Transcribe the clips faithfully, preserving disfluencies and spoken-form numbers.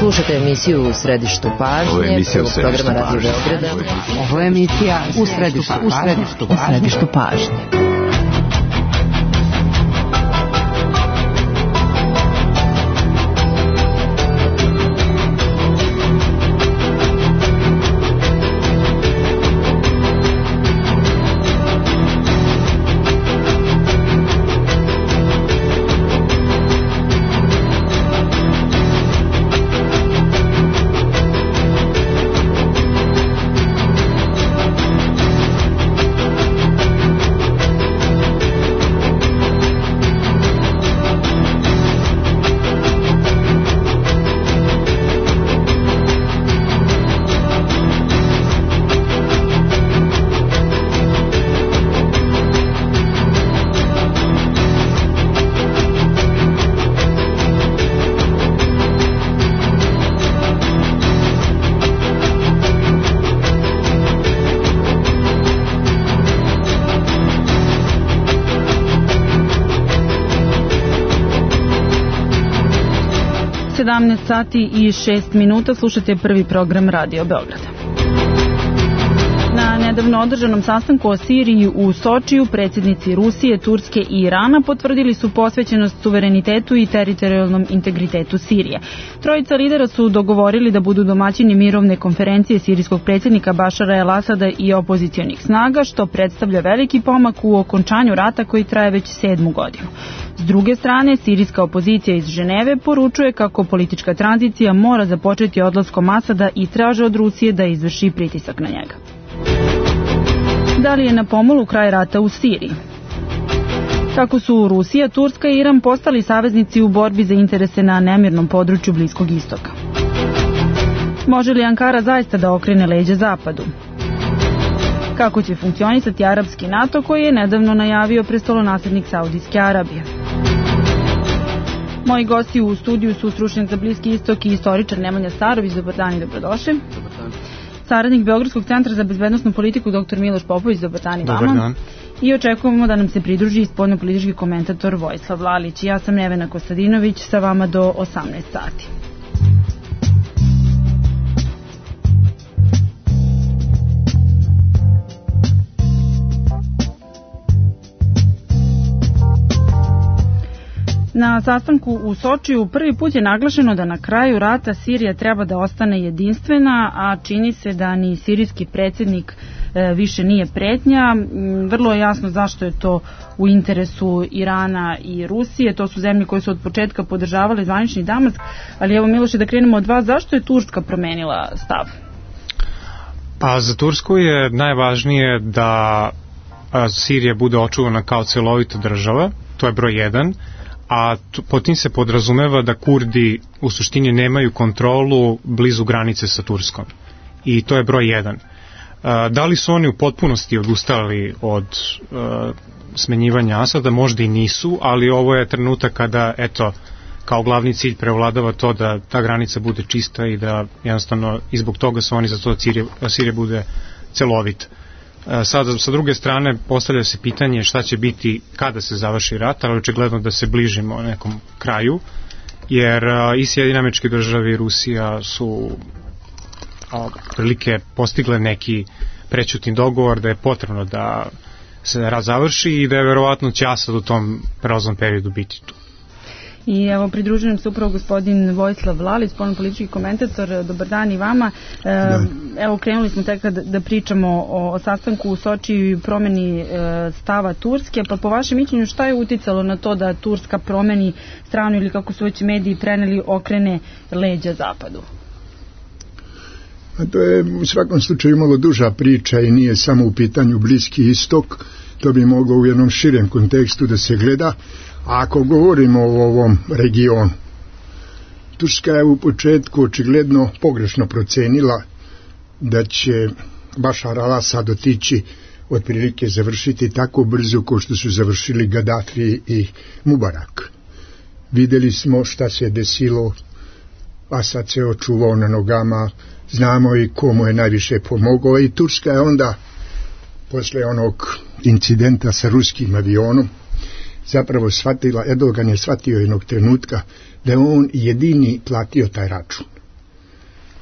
Slušajte emisiju U središtu pažnje, prvog programa Radio Beograda. Ovo je emisija U središtu, u središtu, u središtu pažnje. sedamnaest sati i šest minuta, slušate prvi program Radio Beograda. Na nedavno održanom sastanku o Siriji u Sočiju predsjednici Rusije, Turske i Irana potvrdili su posvećenost suverenitetu i teritorijalnom integritetu Sirije. Trojica lidera su dogovorili da budu domaćini mirovne konferencije sirijskog predsjednika Bašara el-Asada i opozicionih snaga, što predstavlja veliki pomak u okončanju rata koji traje već sedmu godinu. S druge strane, sirijska opozicija iz Ženeve poručuje kako politička tranzicija mora započeti odlaskom Asada i traže od Rusije da izvrši pritisak na njega. Da li je na pomolu kraj rata u Siriji? Kako su Rusija, Turska i Iran postali saveznici u borbi za interese na nemirnom području Bliskog istoka? Može li Ankara zaista da okrene leđa Zapadu? Kako će funkcionisati arapski NATO koji je nedavno najavio prestolonaslednik Saudijske Arabije? Moji gosti u studiju su stručnjak za Bliski istok i istoričar Nemanja Starović. Dobar dan i dobrodošli. Dobar dan. Saradnik Beogradskog centra za bezbednosnu politiku doktor Miloš Popović. Dobar dan i vama. Dobar dan. I očekujemo da nam se pridruži spoljnopolitički komentator Vojislav Lalić. Ja sam Nevena Kostadinović, sa vama do osamnaest sati. Na sastanku u Sočiju prvi put je naglašeno da na kraju rata Sirija treba da ostane jedinstvena, a čini se da ni sirijski predsjednik e, više nije pretnja. Vrlo je jasno zašto je to u interesu Irana i Rusije. To su zemlje koje su od početka podržavale zvanični Damask. Ali evo, Miloše, da krenemo od vas. Zašto je Turska promenila stav? Pa za Tursku je najvažnije da Sirija bude očuvana kao celovita država. To je broj jedan. A po tim se podrazumeva da Kurdi u suštini nemaju kontrolu blizu granice sa Turskom. I to je broj jedan. Da li su oni u potpunosti odustali od uh, smenjivanja Asada? Možda i nisu, ali ovo je trenutak kada, eto, kao glavni cilj prevladava to da ta granica bude čista i da jednostavno i zbog toga su oni za to da Sirija, Sirija bude celovita. Sada, sa druge strane, postavlja se pitanje šta će biti kada se završi rat, ali očigledno da se bližimo nekom kraju, jer i Sjedinjene Američke Države i Rusija su prilike postigle neki prećutni dogovor da je potrebno da se rat završi i da je verovatno će Asad u tom prelaznom periodu biti tu. I evo, pridružujem se upravo gospodin Vojislav Lalić, spoljnopolitički komentator. Dobar dan i vama. E, evo, krenuli smo tek da, da pričamo o, o sastanku u Sočiju i promeni e, stava Turske, pa po vašem mišljenju šta je uticalo na to da Turska promeni stranu ili, kako su već mediji preneli, okrene leđa Zapadu? A to je u svakom slučaju malo duža priča i nije samo u pitanju Bliski istok. To bi moglo u jednom širem kontekstu da se gleda. A ako govorimo o ovom regionu, Turska je u početku očigledno pogrešno procenila da će Bašar al-Asad otići otprilike završiti tako brzo kao što su završili Gaddafi i Mubarak. Videli smo šta se desilo, Asad se očuvao na nogama, znamo i komu je najviše pomogao i Turska je onda, posle onog incidenta sa ruskim avionom, zapravo shvatila, Erdogan je shvatio jednog trenutka da je on jedini platio taj račun.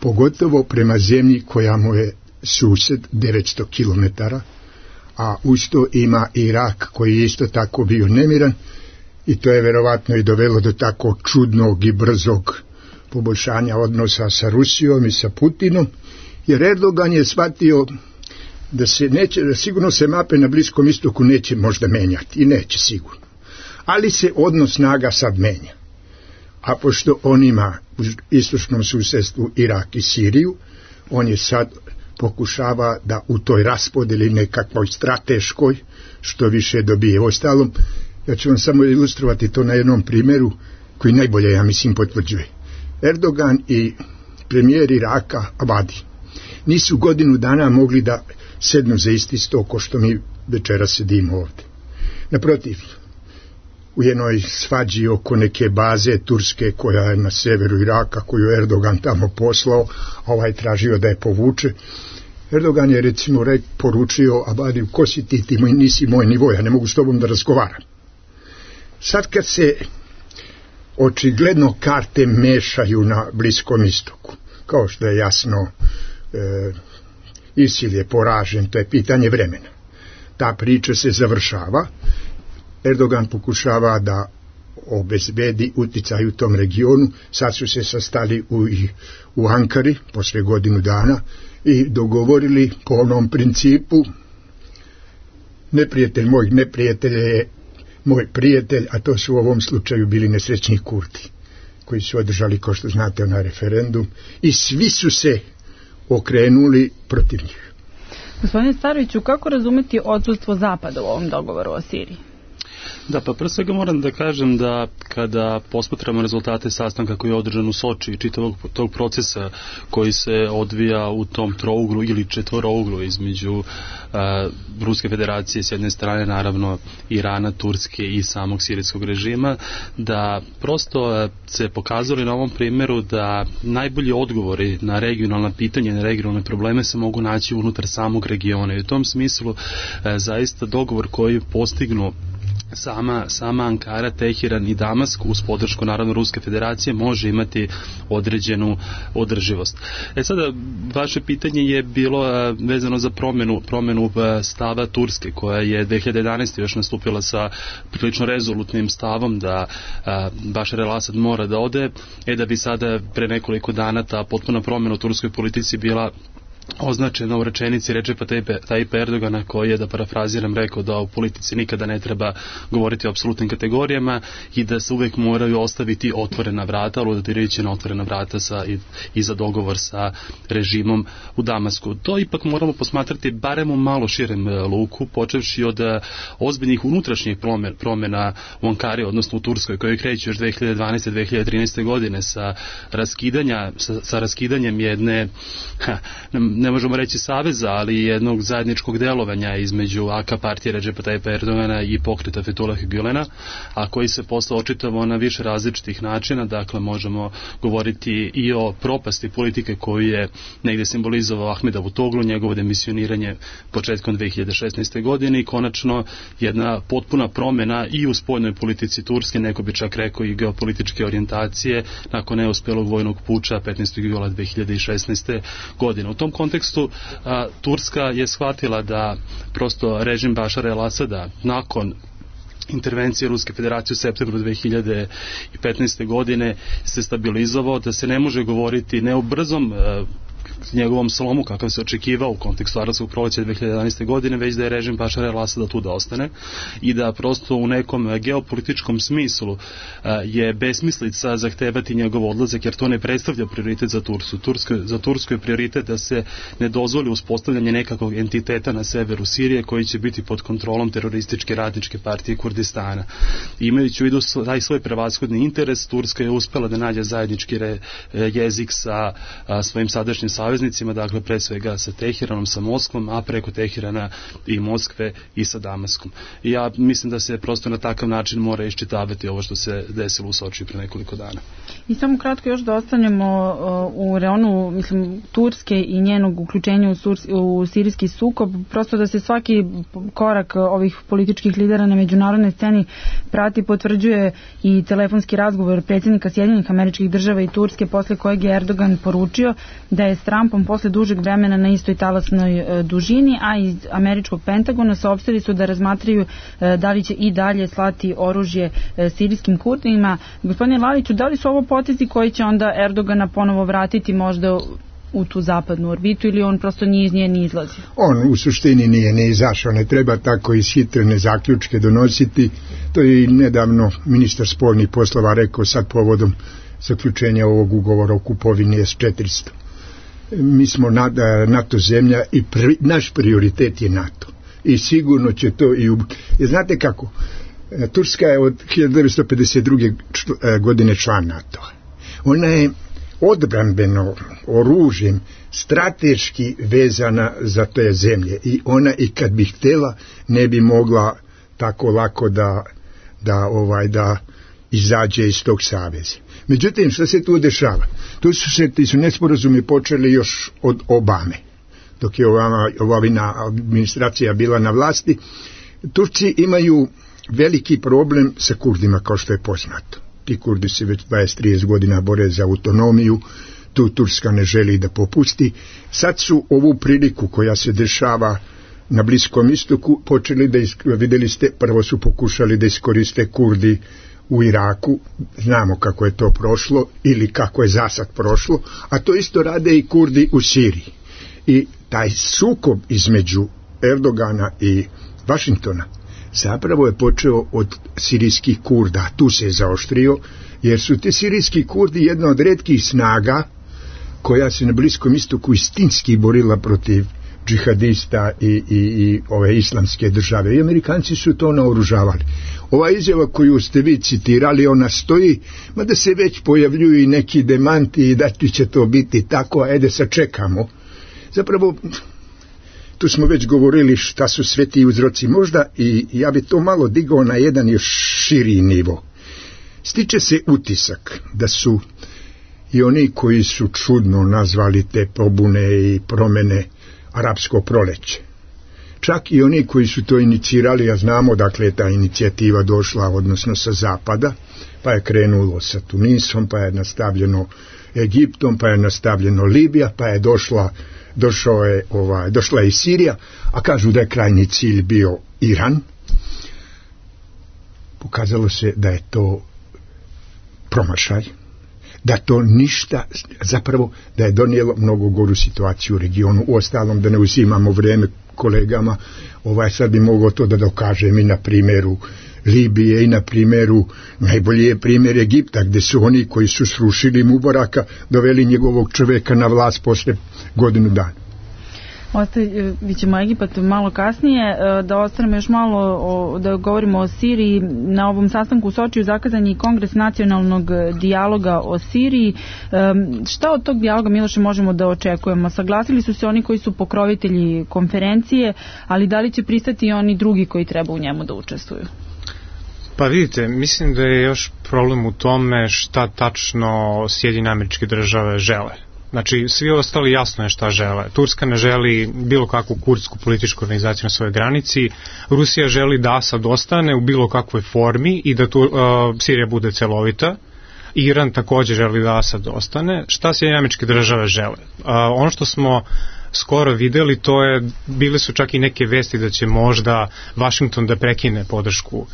pogotovo prema zemlji koja mu je sused devetsto kilometara, a usto ima Irak koji je isto tako bio nemiran, i to je verovatno i dovelo do tako čudnog i brzog poboljšanja odnosa sa Rusijom i sa Putinom, jer Erdogan je shvatio da se neće, da sigurno se mape na Bliskom istoku neće možda menjati, i neće sigurno, ali se odnos snaga sad menja. A pošto on ima u istočnom susjedstvu Irak i Siriju, on je sad pokušava da u toj raspodeli nekakvoj strateškoj što više dobije. Ostalom, ja ću vam samo ilustrovati to na jednom primjeru koji najbolje, ja mislim, potvrđuje. Erdogan i premijer Iraka Abadi nisu godinu dana mogli da sednu za isti sto ko što mi večeras sedimo ovdje. Naprotiv, u jednoj svađi oko neke baze turske koja je na severu Iraka, koju je Erdogan tamo poslao, a ovaj tražio da je povuče, Erdogan je recimo rek, poručio Abadiju, ko si ti, ti moj, nisi moj nivo, ja ne mogu s tobom da razgovaram. Sad kad se očigledno karte mešaju na Bliskom istoku, kao što je jasno, e, ISIL je poražen, to je pitanje vremena. Ta priča se završava, Erdogan pokušava da obezbedi uticaj u tom regionu, sad su se sastali u, u Ankari, posle godinu dana, i dogovorili po onom principu, neprijatelj mojih neprijatelja je moj prijatelj, a to su u ovom slučaju bili nesrećni Kurdi, koji su održali, kao što znate, na referendum, i svi su se okrenuli protiv njih. Gospodine Staroviću, kako razumeti odsustvo Zapada u ovom dogovoru o Siriji? Da, pa prvo svega moram da kažem da kada posmatramo rezultate sastanka koji je održan u Soči i čitavog tog procesa koji se odvija u tom trouglu ili četvorouglu između a, Ruske federacije s jedne strane, naravno Irana, Turske i samog sirijskog režima, da prosto a, se pokazali na ovom primjeru da najbolji odgovori na regionalna pitanja, na regionalne probleme se mogu naći unutar samog regiona, i u tom smislu a, zaista dogovor koji postignu Sama, sama Ankara, Teheran i Damask uz podršku naravno Ruske federacije može imati određenu održivost. E sada, vaše pitanje je bilo a, vezano za promjenu, promjenu a, stava Turske, koja je dve hiljade jedanaeste. još nastupila sa prilično rezolutnim stavom da a, Bašar el-Asad mora da ode, e da bi sada pre nekoliko dana ta potpuna promjena u turskoj politici bila označena u rečenici Recepa Tayyipa Erdogana, koji je, da parafraziram, rekao da u politici nikada ne treba govoriti o apsolutnim kategorijama i da se uvek moraju ostaviti otvorena vrata, aludirajući na otvorena vrata sa, i, i za dogovor sa režimom u Damasku. To ipak moramo posmatrati barem u malo širem luku, počevši od ozbiljnih unutrašnjih promjena u Ankari, odnosno u Turskoj, koji kreću još dve hiljade dvanaeste. dve hiljade trinaeste. godine sa, raskidanja, sa, sa raskidanjem jedne ha, ne možemo reći saveza, ali jednog zajedničkog delovanja između A K partije Recepa Tayyipa Erdogana i pokreta Fethullah Gülena, a koji se posle očitavao na više različitih načina. Dakle, možemo govoriti i o propasti politike koju je negdje simbolizovao Ahmed Davutoglu, njegovo demisioniranje početkom dve hiljade šesnaeste. godine i konačno jedna potpuna promjena i u spoljnoj politici Turske, neko bi čak rekao i geopolitičke orijentacije, nakon neuspelog vojnog puča petnaestog jula dve hiljade šesnaeste. godine. U tom kontekstu a, Turska je shvatila da prosto režim Bašara el-Asada nakon intervencije Ruske federacije u septembru dve hiljade petnaeste. godine se stabilizovao, da se ne može govoriti ne o brzom a, njegovom slomu kakav se očekivao u kontekstu arapskog proleća dve hiljade jedanaeste. godine, već da je režim Bašara el-Asada tu da ostane i da prosto u nekom geopolitičkom smislu a, je besmislica zahtevati njegov odlazak, jer to ne predstavlja prioritet za Tursku. Tursko, za Tursku je prioritet da se ne dozvoli uspostavljanje nekakvog entiteta na severu Sirije koji će biti pod kontrolom terorističke radničke partije Kurdistana. Imajući u vidu taj svoj prevashodni interes, Turska je uspela da nađe zajednički re, jezik sa a, svojim sadašnjim saveznikom saveznicima, dakle pre svega sa Teheranom, sa Moskvom, a preko Teherana i Moskve i sa Damaskom. I ja mislim da se prosto na takav način mora iščitavati ovo što se desilo u Sočiju pre nekoliko dana. I samo kratko još da ostanemo uh, u reonu, mislim, Turske i njenog uključenja u, sur, u sirijski sukob, prosto da se svaki korak ovih političkih lidera na međunarodnoj sceni prati, potvrđuje i telefonski razgovor predsjednika Sjedinjenih Američkih Država i Turske, posle kojeg je Erdogan poručio da je s Trumpom posle dužeg vremena na istoj talasnoj uh, dužini, a iz američkog Pentagona saopštili su da razmatraju uh, da li će i dalje slati oružje uh, sirijskim Kurdima. Gospodine Laliću, da li su ovo potezi koji će onda Erdogana ponovo vratiti možda u tu zapadnu orbitu ili on prosto nije iz nje ni izlazi? On u suštini nije ne izašao, ne treba tako ishitrene zaključke donositi. To je i nedavno ministar spoljnih poslova rekao sad povodom zaključenja ovog ugovora o kupovini S četiristo. Mi smo NATO zemlja i pri, naš prioritet je NATO. I sigurno će to i... U... Znate kako? Turska je od hiljadu devetsto pedeset druge godine član NATO-a. Ona je odbrambeno oružjem strateški vezana za te zemlje i ona i kad bi htjela ne bi mogla tako lako da, da, ovaj, da izađe iz tog saveza. Međutim, što se tu dešava? Tu su se ti su nesporazumi počeli još od Obame, dok je ova, ova administracija bila na vlasti. Turci imaju veliki problem sa Kurdima, kao što je poznato. Ti Kurdi se već dvadeset do trideset godina bore za autonomiju, tu Turska ne želi da popusti. Sad su ovu priliku koja se dešava na Bliskom istoku počeli da, vidjeli ste, prvo su pokušali da iskoriste Kurdi u Iraku, znamo kako je to prošlo ili kako je zasad prošlo, a to isto rade i Kurdi u Siriji. I taj sukob između Erdogana i Vašingtona zapravo je počeo od sirijskih Kurda, tu se je zaoštrio, jer su ti sirijski Kurdi jedna od retkih snaga koja se na Bliskom istoku istinski borila protiv džihadista i, i, i ove islamske države. I Amerikanci su to naoružavali. Ova izjava koju ste vi citirali, ona stoji, mada se već pojavljuju i neki demanti i da će to biti tako, a ede sačekamo. Zapravo, tu smo već govorili šta su sve ti uzroci možda i ja bi to malo digao na jedan još širi nivo. Stiče se utisak da su i oni koji su čudno nazvali te pobune i promene arapsko proleće. Čak i oni koji su to inicirali, a znamo dakle je ta inicijativa došla odnosno sa zapada, pa je krenulo sa Tunisom, pa je nastavljeno Egiptom, pa je nastavljeno Libija, pa je došla došao je, ovaj, došla je i Sirija, a kažu da je krajnji cilj bio Iran. Pokazalo se da je to promašaj, da to ništa, zapravo da je donijelo mnogo goru situaciju u regionu. Uostalom, da ne uzimamo vrijeme kolegama, ovaj sad bi mogao to da dokažem i na primjeru Libije i na primjeru, najbolji je primjer Egipta, gdje su oni koji su srušili Mubaraka doveli njegovog čovjeka na vlast posle godinu dana. Ostavit ćemo Egipat malo kasnije, da ostanemo još malo o, da govorimo o Siriji. Na ovom sastanku u Sočiju zakazan je i Kongres nacionalnog dijaloga o Siriji. Um, šta od tog dijaloga, Miloše, možemo da očekujemo? Saglasili su se oni koji su pokrovitelji konferencije, ali da li će pristati i oni drugi koji treba u njemu da učestvuju? Pa vidite, mislim da je još problem u tome šta tačno Sjedinjene Američke Države žele. Znači, svi ostali jasno je šta žele. Turska ne želi bilo kakvu kurdsku političku organizaciju na svojoj granici. Rusija želi da Asad ostane u bilo kakvoj formi i da tu, uh, Sirija bude celovita. Iran također želi da Asad ostane. Šta Sjedinjene Američke Države žele? Uh, ono što smo skoro videli, to je, bile su čak i neke vesti da će možda Vašington da prekine podršku uh,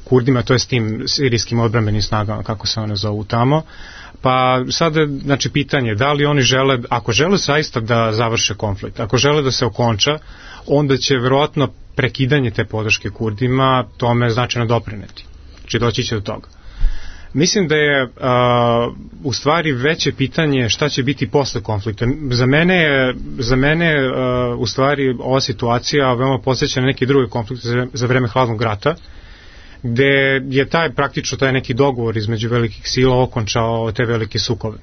Kurdima, to je s tim sirijskim odbrambenim snagama, kako se one zovu tamo. Pa sada, znači, pitanje, da li oni žele, ako žele zaista da završe konflikt, ako žele da se okonča, onda će verovatno prekidanje te podrške Kurdima tome značajno doprineti. Znači, doći će do toga. Mislim da je uh, u stvari veće pitanje šta će biti posle konflikta. Za mene je, za mene je uh, u stvari ova situacija veoma podsjeća na neki drugi konflikt za, za vreme hladnog rata, gde je taj praktično taj neki dogovor između velikih sila okončao te velike sukobe.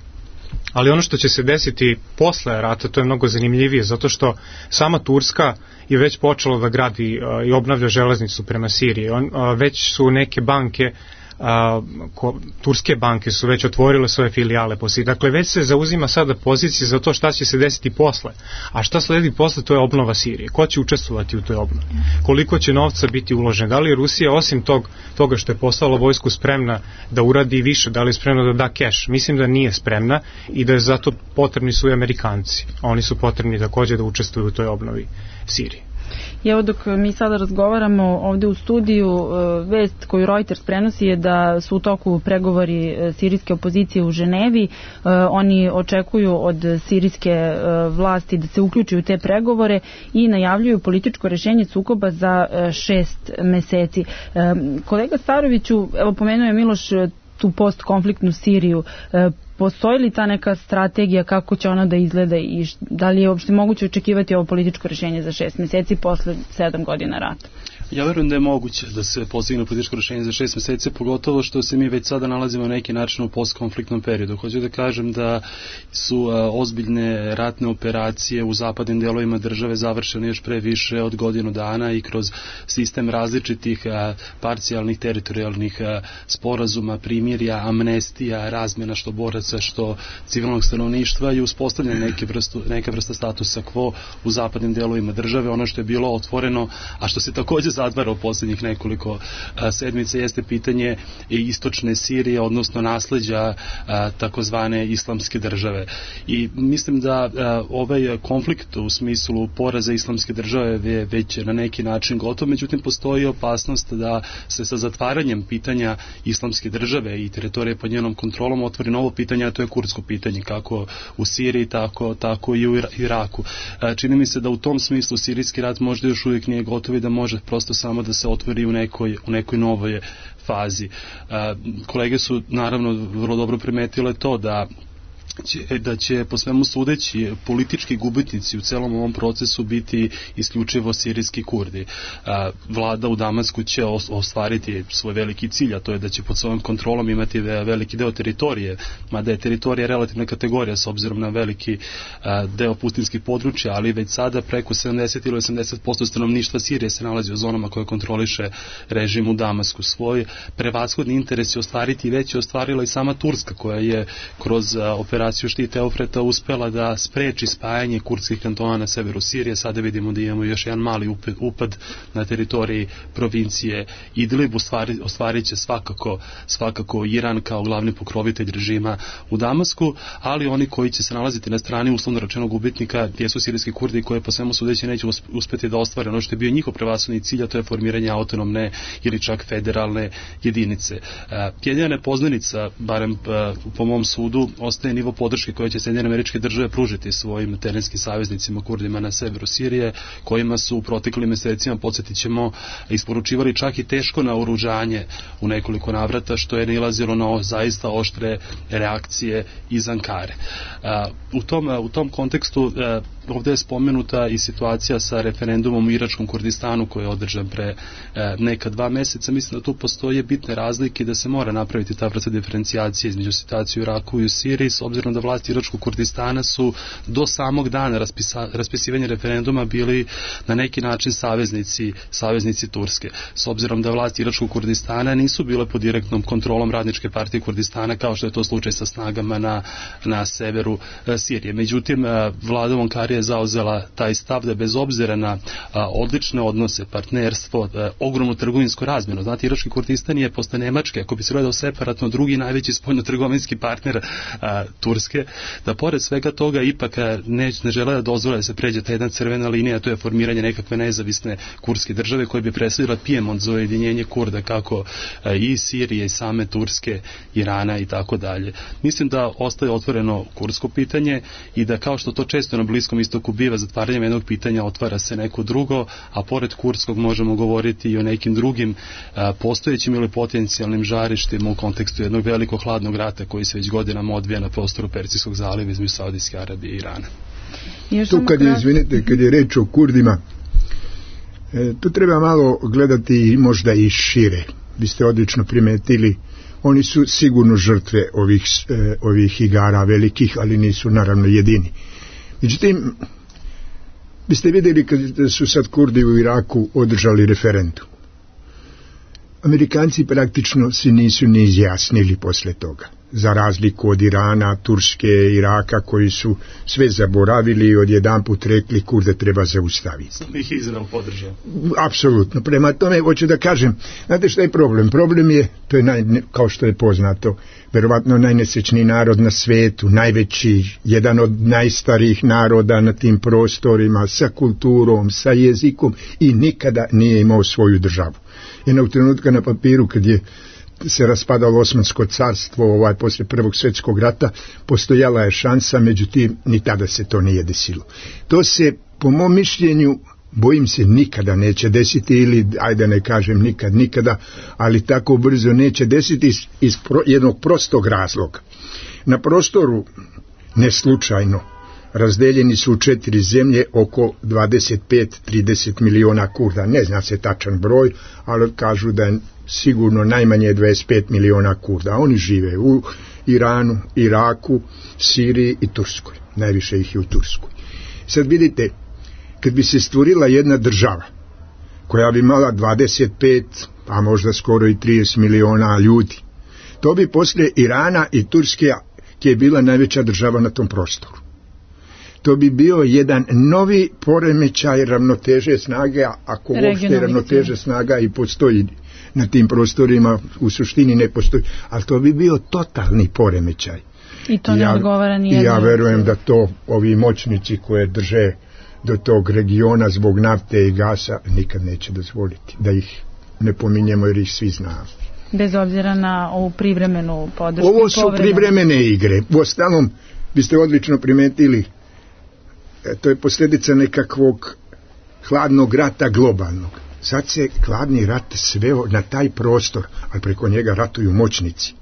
Ali ono što će se desiti posle rata, to je mnogo zanimljivije, zato što sama Turska je već počela da gradi uh, i obnavlja železnicu prema Siriji. On, uh, već su neke banke, uh, ko, turske banke su već otvorile svoje filijale po Siriji. Dakle, već se zauzima sada pozicija za to šta će se desiti posle. A šta sledi posle, to je obnova Sirije. Ko će učestvovati u toj obnovi? Koliko će novca biti uloženo? Da li je Rusija, osim tog, toga što je postala vojsku, spremna da uradi više? Da li je spremna da da keš? Mislim da nije spremna i da je zato potrebni su i Amerikanci. Oni su potrebni takođe da učestvuju u toj obnovi Sirije. I evo dok mi sada razgovaramo ovde u studiju, vest koju Reuters prenosi je da su u toku pregovori sirijske opozicije u Ženevi. Oni očekuju od sirijske vlasti da se uključi u te pregovore i najavljuju političko rešenje sukoba za šest meseci. Kolega Staroviću, evo pomenuo je Miloš tu postkonfliktnu Siriju. Postoji li ta neka strategija kako će ona da izgleda i da li je uopšte moguće očekivati ovo političko rešenje za šest meseci posle sedam godina rata? Ja verujem da je moguće da se postigne političko rešenje za šest meseci, pogotovo što se mi već sada nalazimo na neki način u postkonfliktnom periodu. Hoću da kažem da su a, ozbiljne ratne operacije u zapadnim delovima države završene još pre više od godinu dana i kroz sistem različitih a, parcijalnih teritorijalnih a, sporazuma, primirja, amnestija, razmjena što boraca, što civilnog stanovništva i uspostavljanje neke, vrstu, neke vrsta statusa quo u zapadnim delovima države. Ono što je bilo otvoreno, a što se takođe zatvara u posljednjih nekoliko a, sedmice, jeste pitanje istočne Sirije, odnosno nasleđa a, takozvane islamske države. I mislim da a, ovaj konflikt u smislu poraza islamske države je već na neki način gotov, međutim postoji opasnost da se sa zatvaranjem pitanja islamske države i teritorije pod njenom kontrolom otvori novo pitanje, a to je kurdsko pitanje, kako u Siriji, tako, tako i u Iraku. A, čini mi se da u tom smislu sirijski rat možda još uvijek nije gotov i da može prosto samo da se otvori u nekoj, u nekoj novoj fazi. A, kolege su naravno vrlo dobro primetile to da Će, da će po svemu sudeći politički gubitnici u celom ovom procesu biti isključivo sirijski Kurdi. A, vlada u Damasku će ostvariti svoj veliki cilj, a to je da će pod svojom kontrolom imati veliki deo teritorije, mada je teritorija relativna kategorija s obzirom na veliki a, deo pustinskih područja, ali već sada preko sedamdeset ili osamdeset posto stanovništva Sirije se nalazi u zonama koje kontroliše režim u Damasku. Svoj prevashodni interes je ostvariti i već je ostvarila i sama Turska, koja je kroz a, operaciju Štit Eufrata uspela da spreči spajanje kurdskih kantona na severu Sirije. Sada vidimo da imamo još jedan mali upad na teritoriji provincije Idlib. Ostvari, ostvarit će svakako, svakako Iran kao glavni pokrovitelj režima u Damasku, ali oni koji će se nalaziti na strani uslovno rečenog gubitnika jesu sirijski Kurdi koji po svemu sudeći neće uspeti da ostvare ono što je bio njihov prevashodni cilj, a to je formiranje autonomne ili čak federalne jedinice. Jedina nepoznanica, barem po mom sudu, ostaje nivo podrške koje će Sjedinjene Američke Države pružiti svojim terenskim saveznicima Kurdima na severu Sirije, kojima su u proteklim mesecima, podsjetit ćemo, isporučivali čak i teško naoružanje u nekoliko navrata, što je nilazilo na zaista oštre reakcije iz Ankare. U tom, u tom kontekstu ovdje je spomenuta i situacija sa referendumom u Iračkom Kurdistanu koji je održan pre neka dva meseca. Mislim da tu postoje bitne razlike, da se mora napraviti ta vrsta diferencijacije između situacije u Iraku i u Siriji, s obzirom da vlasti Iračkog Kurdistana su do samog dana raspisa, raspisivanja referenduma bili na neki način saveznici, saveznici Turske. S obzirom da vlasti Iračkog Kurdistana nisu bile pod direktnom kontrolom Radničke partije Kurdistana, kao što je to slučaj sa snagama na, na severu e, Sirije. Međutim, e, vlada u Ankari je zauzela taj stav da bez obzira na a, odlične odnose, partnerstvo, a, ogromnu trgovinsku razmjenu. Znate, Irački Kurdistan je posle Nemačke, ako bi se gledao separatno, drugi najveći spoljno-trgovinski partner a, Turske, da pored svega toga ipak ne, ne žele da dozvole da se pređe ta jedna crvena linija, to je formiranje nekakve nezavisne kurdske države koje bi predstavila Pijemont za ujedinjenje Kurda, kako a, i Sirije, i same Turske, Irana i tako dalje. Mislim da ostaje otvoreno kurdsko pitanje i da, kao što to često na Bliskom istoku biva, zatvaranjem jednog pitanja otvara se neko drugo, a pored kurdskog možemo govoriti i o nekim drugim a, postojećim ili potencijalnim žarištima u kontekstu jednog velikog hladnog rata koji se već godinama odvija na prostoru Persijskog zaliva između Saudijske Arabije i Irana. Tu kad je, izvinite, kad je reč o Kurdima, e, tu treba malo gledati možda i šire. Vi ste odlično primetili Oni su sigurno žrtve ovih, e, ovih igara velikih, ali nisu naravno jedini. Međutim, biste vidjeli kad su sad Kurdi u Iraku održali referendum. Amerikanci praktično se nisu ni izjasnili posle toga, za razliku od Irana, Turske, Iraka, koji su sve zaboravili i odjedanput rekli Kurde treba zaustaviti. Sam ih Izrael podržao. Apsolutno. Prema tome, hoću da kažem, znate šta je problem? Problem je, to je naj, kao što je poznato, verovatno najnesečniji narod na svetu, najveći, jedan od najstarijih naroda na tim prostorima, sa kulturom, sa jezikom i nikada nije imao svoju državu. Jednog trenutka na papiru kad je se raspadalo Osmansko carstvo ovaj, posle Prvog svjetskog rata, postojala je šansa, međutim ni tada se to nije desilo. To se po mom mišljenju bojim se nikada neće desiti, ili ajde ne kažem nikad nikada, ali tako brzo neće desiti iz, iz pro, jednog prostog razloga. Na prostoru neslučajno razdeljeni su u četiri zemlje oko dvadeset pet do trideset miliona Kurda. Ne zna se tačan broj, ali kažu da je sigurno najmanje dvadeset pet miliona Kurda. Oni žive u Iranu, Iraku, Siriji i Turskoj. Najviše ih je u Turskoj. Sad vidite, kad bi se stvorila jedna država koja bi imala dvadeset pet, a možda skoro i trideset miliona ljudi, to bi posle Irana i Turske, ki je bila najveća država na tom prostoru, to bi bio jedan novi poremećaj ravnoteže snage, ako uopšte ravnoteže snaga i postoji na tim prostorima, u suštini ne postoji, ali to bi bio totalni poremećaj. I to ne ja, odgovara nijedno. Ja verujem da to ovi moćnici koje drže do tog regiona zbog nafte i gasa nikad neće dozvoliti, da ih ne pominjemo jer ih svi znamo. Bez obzira na ovu privremenu podršku. Ovo su privremene igre. U ostalom, biste odlično primetili, to je posljedica nekakvog hladnog rata globalnog. Sad se hladni rat sveo na taj prostor, ali preko njega ratuju moćnici.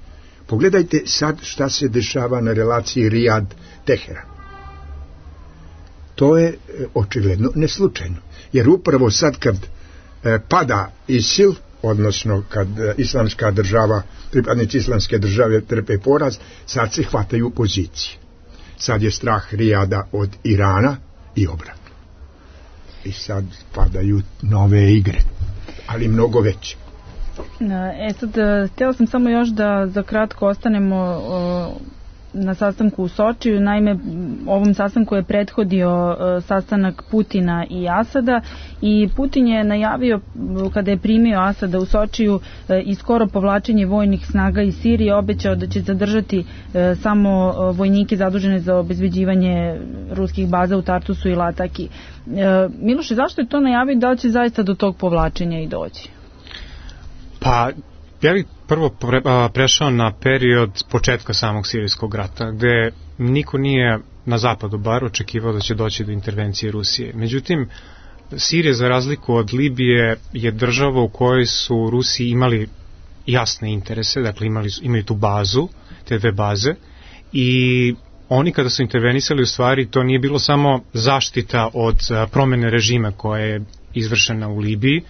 Pogledajte sad šta se dešava na relaciji Rijad-Teheran. To je očigledno neslučajno. Jer upravo sad kad e, pada ISIL, odnosno kad e, islamska država, pripadnici islamske države trpe poraz, sad se hvataju pozicije. Sad je strah Rijada od Irana i obratno. I sad padaju nove igre, ali mnogo veće. E sad, htjela sam samo još da za kratko ostanemo o, na sastanku u Sočiju. Naime, ovom sastanku je prethodio o, sastanak Putina i Asada i Putin je najavio kada je primio Asada u Sočiju e, i skoro povlačenje vojnih snaga iz Sirije, obećao da će zadržati e, samo vojnike zadužene za obezbeđivanje ruskih baza u Tartusu i Lataki. E, Miloše, zašto je to najavio, da li će zaista do tog povlačenja i doći? Pa, ja bih prvo pre, a, prešao na period početka samog sirijskog rata, gde niko nije na zapadu bar očekivao da će doći do intervencije Rusije. Međutim, Sirija, za razliku od Libije, je država u kojoj su Rusi imali jasne interese, dakle imali, imaju tu bazu, te dve baze, i oni kada su intervenisali, u stvari to nije bilo samo zaštita od a, promene režima koja je izvršena u Libiji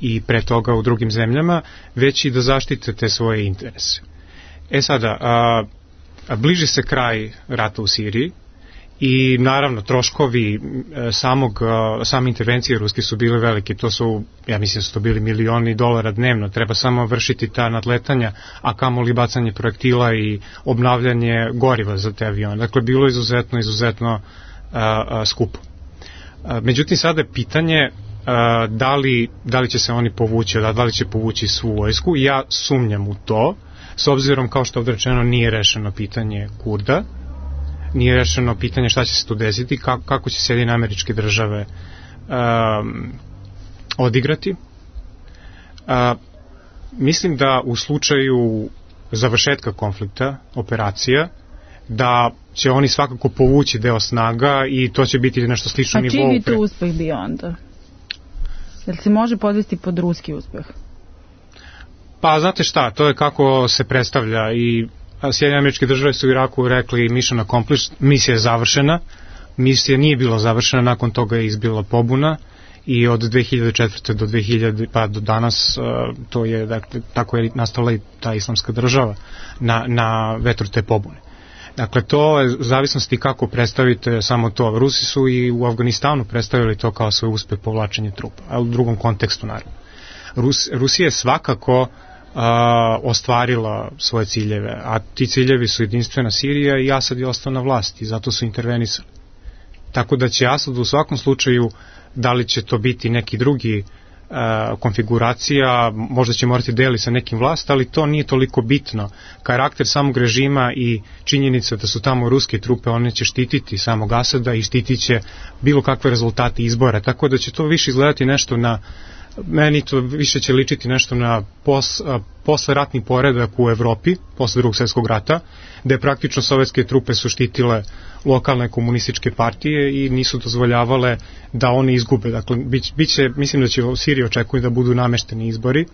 i pre toga u drugim zemljama, već i da zaštite te svoje interese. E sada, a, a bliži se kraj rata u Siriji i naravno troškovi a, samog, a, same intervencije ruske su bile velike. To su, ja mislim da su to bili milioni dolara dnevno. Treba samo vršiti ta nadletanja, a kamoli bacanje projektila i obnavljanje goriva za te avione. Dakle, bilo je izuzetno, izuzetno a, a, skupo. A, međutim, sada je pitanje Uh, da li, da li će se oni povući, da, da li će povući svu vojsku. Ja sumnjam u to, s obzirom, kao što je odrečeno, nije rešeno pitanje Kurda, nije rešeno pitanje šta će se tu desiti, kako, kako će Sjedinjene Američke Države um, odigrati. Uh, mislim da u slučaju završetka konflikta, operacija, da će oni svakako povući deo snaga i to će biti nešto slično nivou. A čiji bi to uspeh bio onda? Jel se može podvesti pod ruski uspeh? Pa znate šta, to je kako se predstavlja i Sjedinjene Američke Države su u Iraku rekli mission accomplished, misija je završena, misija nije bila završena, nakon toga je izbila pobuna i od dve hiljade četvrte do dve hiljade pa do danas to je, dakle, tako je nastala i ta islamska država na, na vetru te pobune. Dakle, to je u zavisnosti kako predstavite samo to. Rusi su i u Afganistanu predstavili to kao svoj uspeh povlačenja trupa, ali u drugom kontekstu naravno. Rus, Rusija je svakako a, ostvarila svoje ciljeve, a ti ciljevi su jedinstvena Sirija i Asad je ostao na vlasti, zato su intervenisali. Tako da će Asad u svakom slučaju, da li će to biti neki drugi a, konfiguracija, možda će morati deli sa nekim vlast, ali to nije toliko bitno. Karakter samog režima i činjenica da su tamo ruske trupe, one će štititi samog Asada i štitit će bilo kakve rezultate izbora, tako da će to više izgledati nešto na, meni to više će ličiti nešto na pos, posleratni poredak u Evropi, posle drugog svjetskog rata, gde praktično sovjetske trupe su štitile lokalne komunističke partije i nisu dozvoljavale da oni izgube. Dakle, biće, mislim da će u Siriji očekuju da budu namešteni izbori,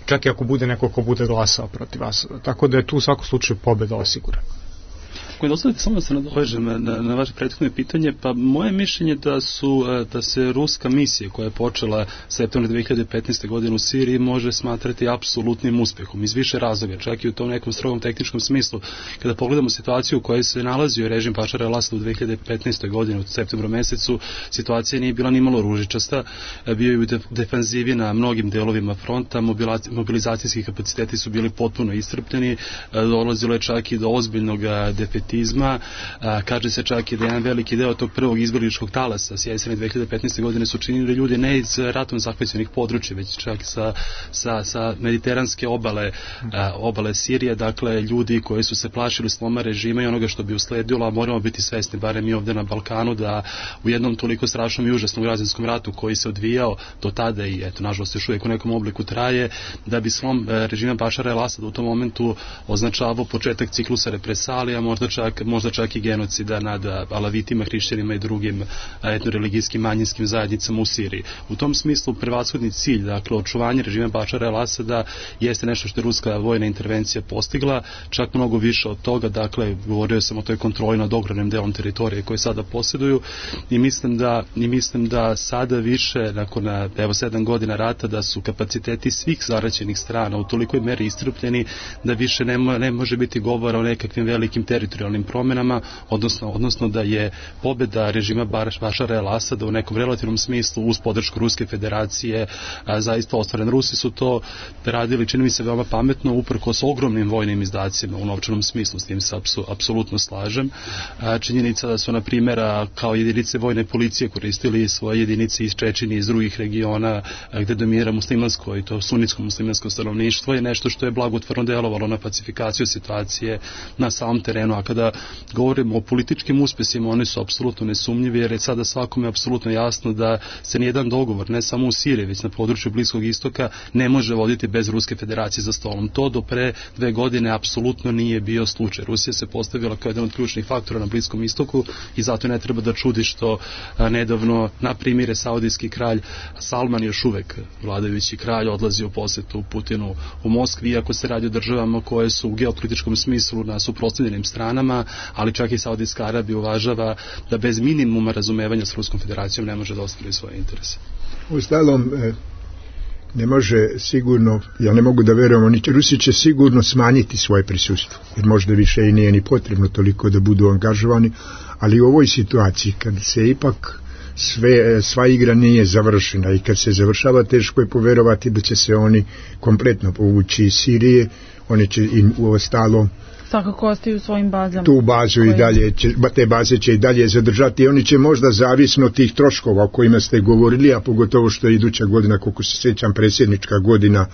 čak i ako bude neko ko bude glasao protiv Asada. Tako da je tu u svakom slučaju pobeda osigurana. Ako mi dozvolite samo da se nadovežem na, na vaše prethodno pitanje, pa moje mišljenje da su da se ruska misija koja je počela septembra dve hiljade petnaeste. godine u Siriji može smatrati apsolutnim uspehom iz više razloga, čak i u tom nekom strogom tehničkom smislu. Kada pogledamo situaciju u kojoj se nalazio režim Bašara el-Asada u dve hiljade petnaestoj. godini u septembru mesecu, situacija nije bila nimalo ružičasta, bio je u defanzivi na mnogim delovima fronta, mobilizacijski kapaciteti su bili potpuno iscrpljeni, dolazilo je čak i do ozbiljnog defetizma. A, kaže se čak i da jedan veliki deo tog prvog izbjegličkog talasa s jeseni dve hiljade petnaeste. godine su činili ljudi ne iz ratom zahvaćenih područja, već čak sa, sa, sa mediteranske obale, a, obale Sirije, dakle ljudi koji su se plašili sloma režima i onoga što bi usledilo, a moramo biti svesni, barem mi ovde na Balkanu, da u jednom toliko strašnom i užasnom građanskom ratu koji se odvijao do tada i eto, nažalost još uvijek u nekom obliku traje, da bi slom režima Bašara el-Asada u tom momentu označavao početak ciklusa represalija, možda čak, možda čak i genocida nad alavitima, hrišćanima i drugim etnoreligijskim manjinskim zajednicama u Siriji. U tom smislu prevashodni cilj, dakle očuvanje režima Bašara el-Asada jeste nešto što je ruska vojna intervencija postigla, čak mnogo više od toga, dakle govorio sam o toj kontroli nad ogromnim delom teritorije koje sada posjeduju i mislim da, i mislim da sada više, nakon evo sedam godina rata, da su kapaciteti svih zaraćenih strana u tolikoj meri iscrpljeni da više ne, mo, ne može biti govora o nekakvim velikim teritorijalnim promenama, odnosno, odnosno da je pobjeda režima Bašara el-Asada u nekom relativnom smislu uz podršku Ruske federacije a, zaista ostvaren. Rusi su to radili, čini mi se, veoma pametno, uprkos ogromnim vojnim izdacima u novčanom smislu, s tim se apsu, apsolutno slažem. A, činjenica da su, na primjer, kao jedinice vojne policije koristili svoje jedinice iz Čečenije, iz drugih regiona a, gde dominira muslimansko i to sunnitsko muslimansko stanovništvo je nešto što je blagotvorno delovalo na pacifikaciju situacije na samom terenu, a kada govorimo o političkim uspesima, oni su apsolutno nesumnjivi, jer je sada svakome apsolutno jasno da se nijedan dogovor, ne samo u Siriji, već na području Bliskog istoka, ne može voditi bez Ruske federacije za stolom. To do pre dve godine apsolutno nije bio slučaj. Rusija se postavila kao jedan od ključnih faktora na Bliskom istoku i zato ne treba da čudi što a, nedavno, na primjer, saudijski kralj Salman, još uvek vladajući kralj, odlazi u posetu Putinu u Moskvi, iako se radi o državama koje su u geopolitičkom smislu na suprotstavljenim stranama, ali čak i Saudijska Arabija uvažava da bez minimuma razumevanja s Ruskom federacijom ne može da ostvari svoje interese. U stalom ne može sigurno, ja ne mogu da verujem, oni će, Rusi će sigurno smanjiti svoje prisustvo, jer možda više i nije ni potrebno toliko da budu angažovani, ali u ovoj situaciji kad se ipak sve, sva igra nije završena i kad se završava, teško je poverovati da će se oni kompletno povući iz Sirije, oni će im u ostalom svakako ostaju u svojim bazama. Tu bazu koje... i dalje, će, te baze će i dalje zadržati i oni će možda zavisno tih troškova o kojima ste govorili, a pogotovo što je iduća godina, koliko se sjećam, predsjednička godina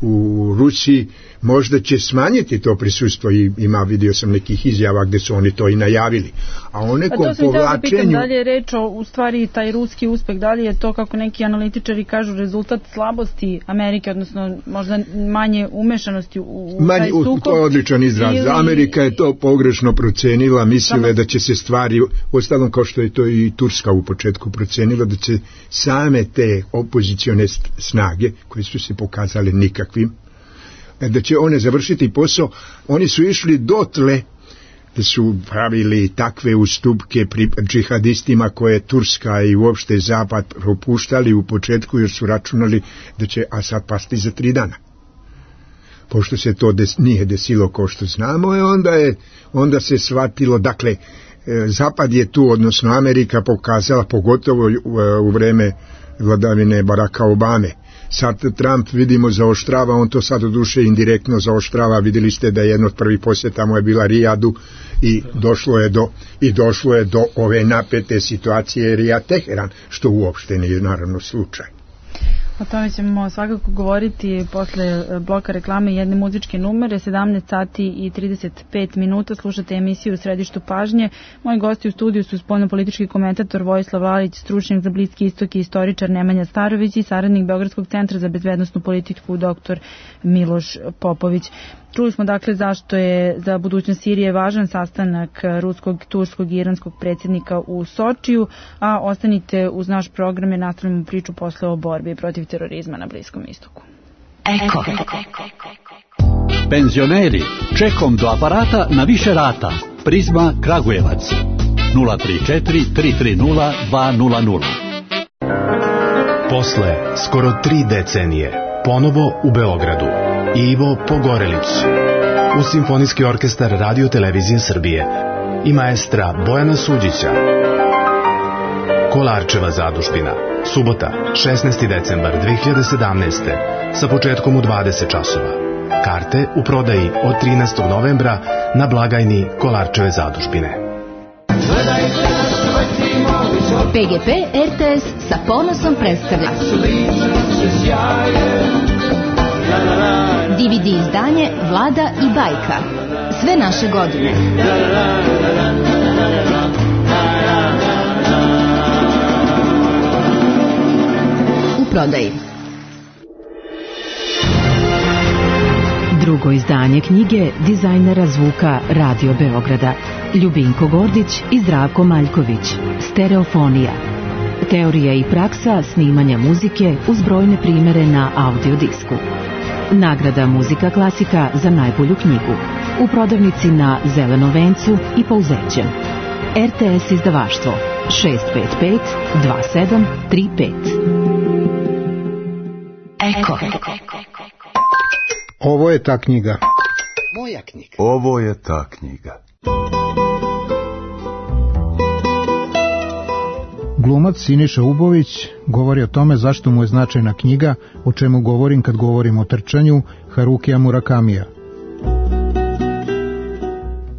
u Rusiji, možda će smanjiti to prisustvo i ima, vidio sam nekih izjava gdje su oni to i najavili. A o nekom povlačenju... Da pitam, da li je reč o, u stvari, taj ruski uspeh, da li je to, kako neki analitičari kažu, rezultat slabosti Amerike, odnosno možda manje umešanosti u, u Manj, taj sukob? To je odličan izraz. Ili... Amerika je to pogrešno procenila, mislila da će se stvari, ostalom kao što je to i Turska u početku procenila, da će same te opozicione snage, koje su se pokazale nikakvim, da će one završiti posao. Oni su išli dotle da su pravili takve ustupke pri džihadistima koje Turska i uopšte Zapad propuštali u početku, jer su računali da će Asad pasti za tri dana. Pošto se to des, nije desilo kao što znamo, onda, je, onda se shvatilo, dakle, Zapad je tu, odnosno Amerika pokazala, pogotovo u vreme vladavine Baracka Obame. Sad Trump, vidimo, zaoštrava, on to sad u duše indirektno zaoštrava. Vidjeli ste da jedno od prvih posjeta mu je bila Rijadu i došlo je do, i došlo je do ove napete situacije Rijad-Teheran, što uopšte nije naravno slučaj. O tome ćemo svakako govoriti posle bloka reklame i jedne muzičke numere. Sedamnaest sati i trideset pet minuta slušate emisiju U središtu pažnje. Moji gosti u studiju su spoljnopolitički komentator Vojislav Lalić, stručnjak za Bliski istok i istoričar Nemanja Starović i saradnik Beogradskog centra za bezbednosnu politiku doktor Miloš Popović. Čuli smo dakle zašto je za budućnost Sirije važan sastanak ruskog, turskog i iranskog predsjednika u Sočiju, a ostanite uz naš program i nastavljamo priču posle o borbi protiv terorizma na Bliskom istoku. Eko. Penzioneri, čekom do aparata na više rata. Prizma Kragujevac. nula tri četiri tri tri nula dva nula nula. Posle skoro tri decenije, ponovo u Beogradu. Ivo Pogorelić, uz Simfonijski orkestar Radio Televizije Srbije i maestra Bojana Suđića. Kolarčeva zadužbina, subota, šesnaesti decembar dve hiljade sedamnaeste. sa početkom u dvadeset časova. Karte u prodaji od trinaestog novembra na blagajni Kolarčeve zadužbine. P G P R T S sa ponosom predstavlja D V D izdanje Vlada i bajka. Sve naše godine. U prodaji. Drugo izdanje knjige dizajnera zvuka Radio Beograda Ljubinko Gordić i Zdravko Maljković. Stereofonija. Teorija i praksa snimanja muzike uz brojne primere na audiodisku. Nagrada Muzika klasika za najbolju knjigu. U prodavnici na Zelenom vencu i Pouzećem. R T S izdavaštvo šest pet pet dva sedam tri pet. Eko. Ovo je ta knjiga. Moja knjiga. Ovo je ta knjiga. Glumac Siniša Ubović govori o tome zašto mu je značajna knjiga, o čemu govorim kad govorim o trčanju, Harukija Murakamija.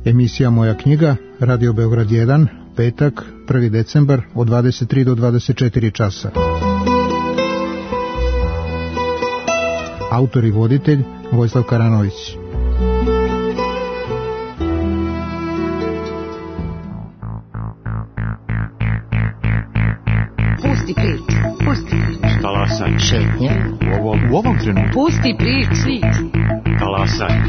Emisija Moja knjiga, Radio Beograd jedan, petak, prvi decembar, od dvadeset tri do dvadeset četiri časa. Autor i voditelj Vojislav Karanović. Pusti priču, pusti priču. Talasaj. Šetnje. U ovom, u ovom trenutku. Pusti priču. Talasaj.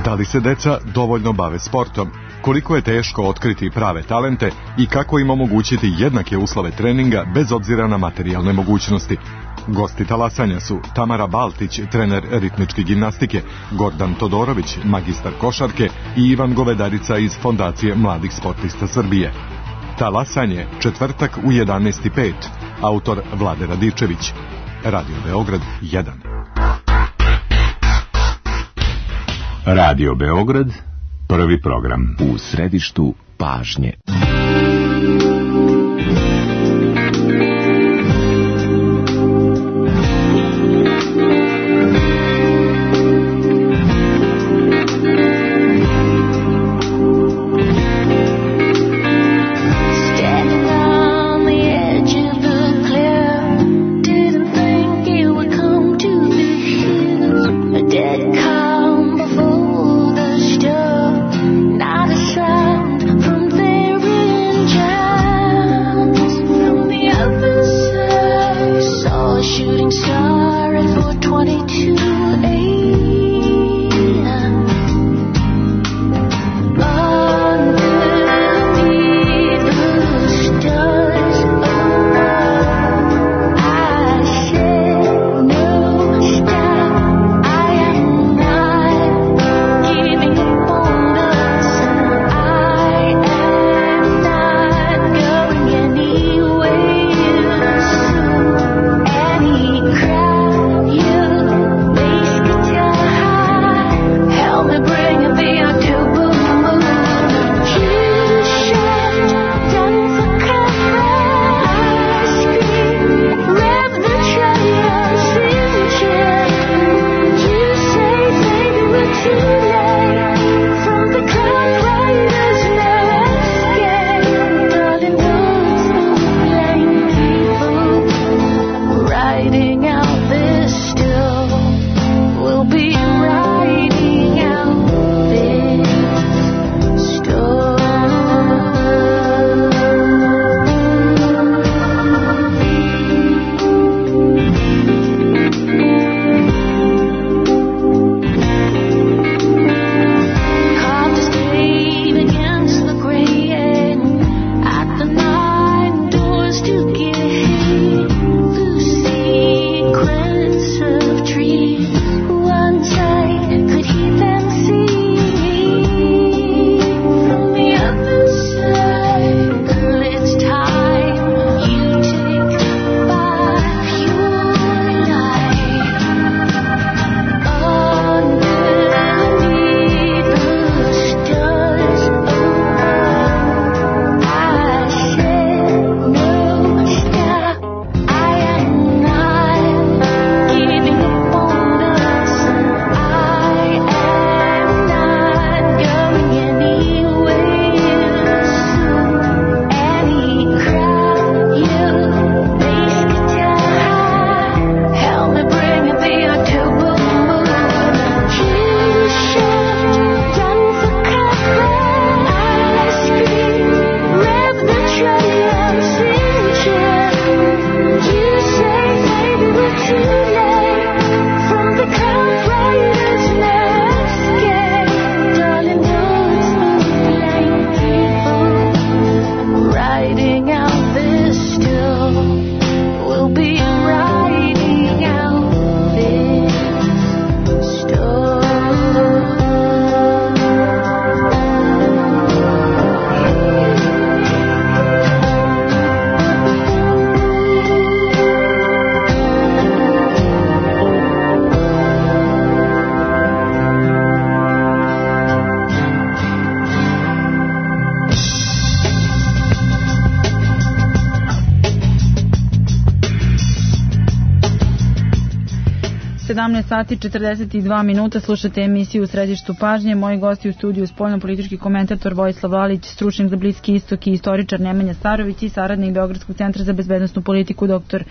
Da li se deca dovoljno bave sportom? Koliko je teško otkriti prave talente i kako im omogućiti jednake uslove treninga bez obzira na materijalne mogućnosti? Gosti talasanja su Tamara Baltić, trener ritmičke gimnastike, Gordan Todorović, magistar košarke i Ivan Govedarica iz Fondacije mladih sportista Srbije. Talasanje, četvrtak u jedanaest i pet, autor Vlade Radičević. Radio Beograd jedan. Radio Beograd, prvi program. U središtu pažnje. Not a sound from very sedamnaest sati četrdeset dva minuta, slušate emisiju U središtu pažnje. Moji gosti u studiju spoljno-politički komentator Vojislav Lalić, stručnjak za Bliski istok i istoričar Nemanja Starović i saradnik Beogradskog centra za bezbednosnu politiku dr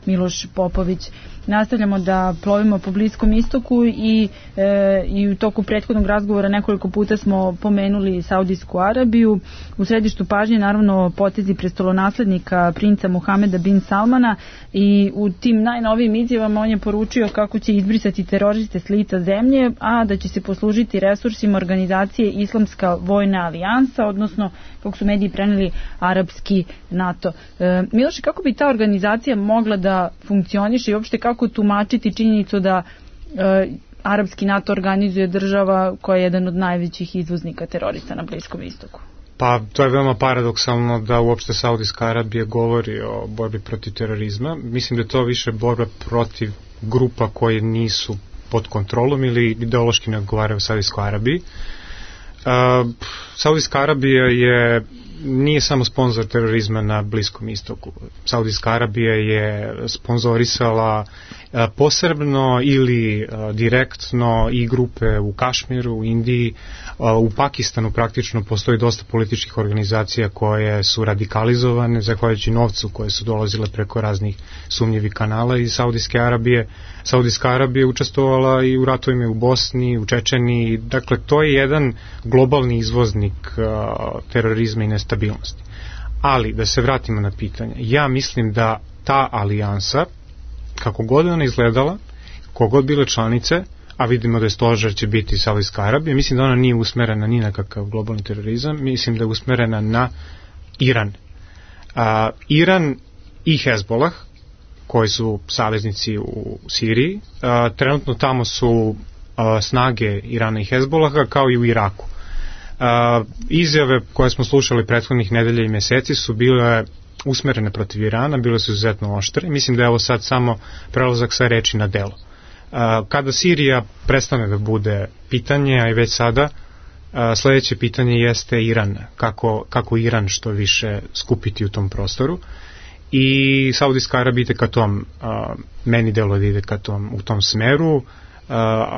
Miloš Popović. Nastavljamo da plovimo po Bliskom istoku i, e, i u toku prethodnog razgovora nekoliko puta smo pomenuli Saudijsku Arabiju. U središtu pažnje naravno potezi prestolonaslednika princa Muhameda bin Salmana i u tim najnovijim izjavama on je poručio kako će izbrisati teroriste s lica zemlje, a da će se poslužiti resursima organizacije Islamska vojna alijansa, odnosno kako su mediji preneli arapski NATO. E, Miloše, kako bi ta organizacija mogla da funkcioniše i uopšte kako tumačiti činjenicu da e, arapski NATO organizuje država koja je jedan od najvećih izvoznika terorista na Bliskom istoku? Pa to je veoma paradoksalno da uopšte Saudijska Arabija govori o borbi protiv terorizma. Mislim da je to više borba protiv grupa koje nisu pod kontrolom ili ideološki ne odgovaraju Saudijskoj Arabiji. Uh, Saudijska Arabija je nije samo sponzor terorizma na Bliskom istoku. Saudijska Arabija je sponzorisala uh, posebno ili uh, direktno i grupe u Kašmiru, u Indiji, uh, u Pakistanu praktično postoji dosta političkih organizacija koje su radikalizovane zahvaljujući novcu koje su dolazile preko raznih sumnjivih kanala iz Saudijske Arabije. Saudijska Arabija učestvovala i u ratovima u Bosni, u Čečeniji, dakle to je jedan globalni izvoznik uh, terorizma i nestabilnosti. Ali, da se vratimo na pitanje, ja mislim da ta alijansa, kako god ona izgledala, kogod bile članice, a vidimo da je stožer će biti Saudijska Arabija, mislim da ona nije usmerena ni na kakav globalni terorizam, mislim da je usmerena na Iran. Uh, Iran i Hezbolah, koji su saveznici u Siriji, uh, trenutno tamo su uh, snage Irana i Hezbolaha kao i u Iraku. Uh, izjave koje smo slušali prethodnih nedelja i meseci su bile usmerene protiv Irana, bile su izuzetno oštre. Mislim da je ovo sad samo prelazak sa reči na delo. Uh, kada Sirija prestane da bude pitanje, a i već sada, uh, sledeće pitanje jeste Iran. Kako, kako Iran što više skupiti u tom prostoru. I Saudijska Arabija ide ka tom, uh, meni delo da ide ka tom, u tom smeru. Uh,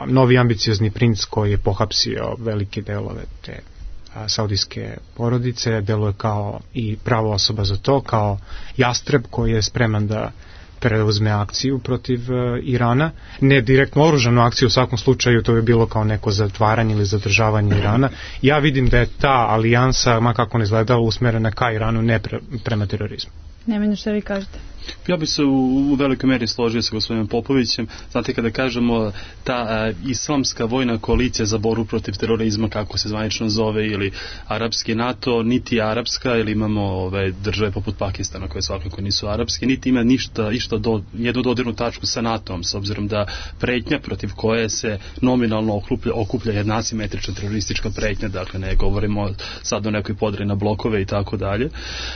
novi ambiciozni princ koji je pohapsio velike delove te uh, saudijske porodice, deluje kao i prava osoba za to, kao jastreb koji je spreman da preuzme akciju protiv uh, Irana, ne direktno oružanu akciju, u svakom slučaju to bi bilo kao neko zatvaranje ili zadržavanje Irana. Ja vidim da je ta alijansa, ma kako ne izgledala, usmerena ka Iranu, ne pre, prema terorizmu. Nemanja, što vi kažete? Ja bih se u, u velikoj meri složio sa gospodinom Popovićem. Znate, kada kažemo ta a, islamska vojna koalicija za borbu protiv terorizma, kako se zvanično zove, ili arapski NATO, niti arapska, ili imamo ove države poput Pakistana koje svakako nisu arapske, niti ima ništa, ništa do, jednu dodirnu tačku sa NATO-om, s obzirom da pretnja protiv koje se nominalno okuplja, okuplja jedna asimetrična teroristička pretnja, dakle ne govorimo sad o nekoj podri na blokove i tako dalje,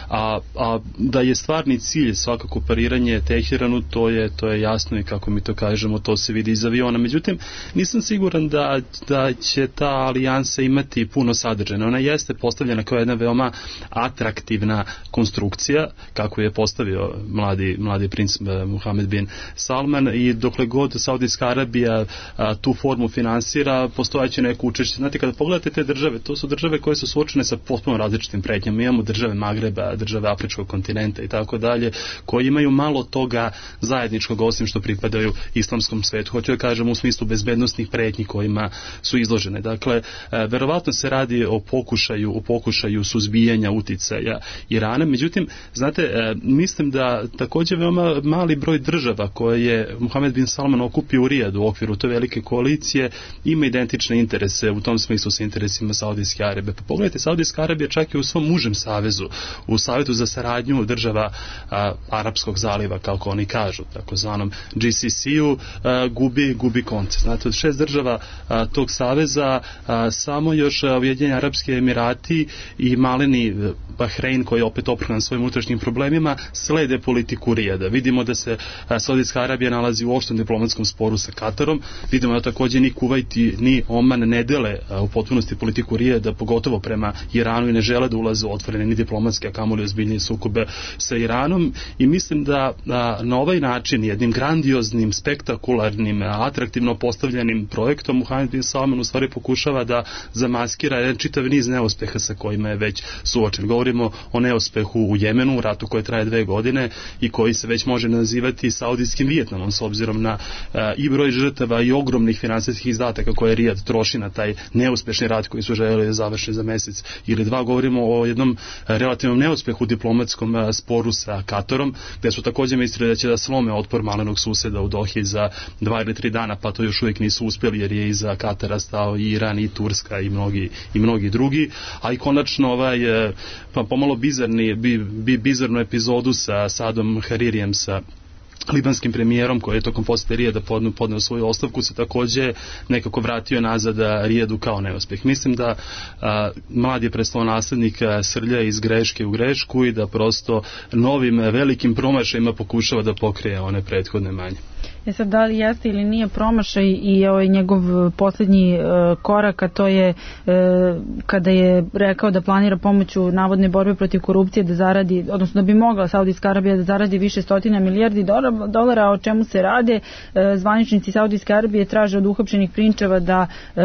a, a da je stvarni cilj svakako pariranje Teheranu, to je, to je jasno i kako mi to kažemo, to se vidi iz aviona. Međutim, nisam siguran da, da će ta alijansa imati puno sadržaja. Ona jeste postavljena kao jedna veoma atraktivna konstrukcija, kako je postavio mladi, mladi princ Muhammed bin Salman, i dokle god Saudijska Arabija a, tu formu finansira, postojaće neko učešće. Znate, kada pogledate te države, to su države koje su suočene sa potpuno različitim pretnjama. Imamo države Magreba, države Afričkog kontinenta i tako dalje, koji imaju malo toga zajedničkog, osim što pripadaju islamskom svetu. Hoću da kažem u smislu bezbednostnih pretnji kojima su izložene. Dakle, verovatno se radi o pokušaju, o pokušaju suzbijanja uticaja Irana. Međutim, znate, mislim da takođe veoma mali broj država koje je Muhammed bin Salman okupio u Rijadu u okviru te velike koalicije ima identične interese u tom smislu sa interesima Saudijske Arabije. Pa pogledajte, Saudijska Arabija čak i u svom užem savezu, u Savetu za saradnju država a, Arapskog zaliva, kako oni kažu, takozvanom G C C-u, gubi, gubi konce. Znate, od šest država a, tog saveza a, samo još Ujedinjeni Arapski Emirati i maleni Bahrein, koji je opet oprhan svojim unutrašnjim problemima, slede politiku Rijada. Vidimo da se a, Saudijska Arabija nalazi u oštrom diplomatskom sporu sa Katarom. Vidimo da takođe ni Kuvajt ni Oman ne dele a, u potpunosti politiku Rijada, pogotovo prema Iranu, i ne žele da ulaze u otvorene ni diplomatske, a kamoli ozbiljnije sukobe sa Iranom. I mislim mislim da a, na ovaj način, jednim grandioznim, spektakularnim, atraktivno postavljenim projektom, Muhamed bin Salman u stvari pokušava da zamaskira jedan čitav niz neuspeha sa kojima je već suočen. Govorimo o neuspehu u Jemenu, u ratu koji traje dve godine i koji se već može nazivati saudijskim Vijetnamom, s obzirom na a, i broj žrtava i ogromnih finansijskih izdataka koje Rijad troši na taj neuspešni rat koji su željeli da završe za mesec ili dva. Govorimo o jednom relativnom neuspehu u diplomatskom a, sporu sa Katarom, gde su takođe mislili da će da slome otpor malenog suseda u Dohi za dva ili tri dana, pa to još uvijek nisu uspjeli, jer je iza Katara stao i Iran i Turska i mnogi, i mnogi drugi, a i konačno ovaj, pa pomalo bizarni, bi, bi, bizarnu epizodu sa Sadom Haririjem, sa libanskim premijerom koji je tokom posete Rijada podneo, podneo svoju ostavku, se takođe nekako vratio nazad Rijadu kao neuspeh. Mislim da a, mladi prestolonaslednik srlja iz greške u grešku i da prosto novim velikim promašajima pokušava da pokrije one prethodne manje. E sad, da li jeste ili nije promašaj i ovaj njegov posljednji e, korak, a to je e, kada je rekao da planira pomoću navodne borbe protiv korupcije da zaradi, odnosno da bi mogla Saudijska Arabija da zaradi više stotina milijardi dolara, o čemu se rade. E, zvaničnici Saudijske Arabije traže od uhapšenih prinčeva da e,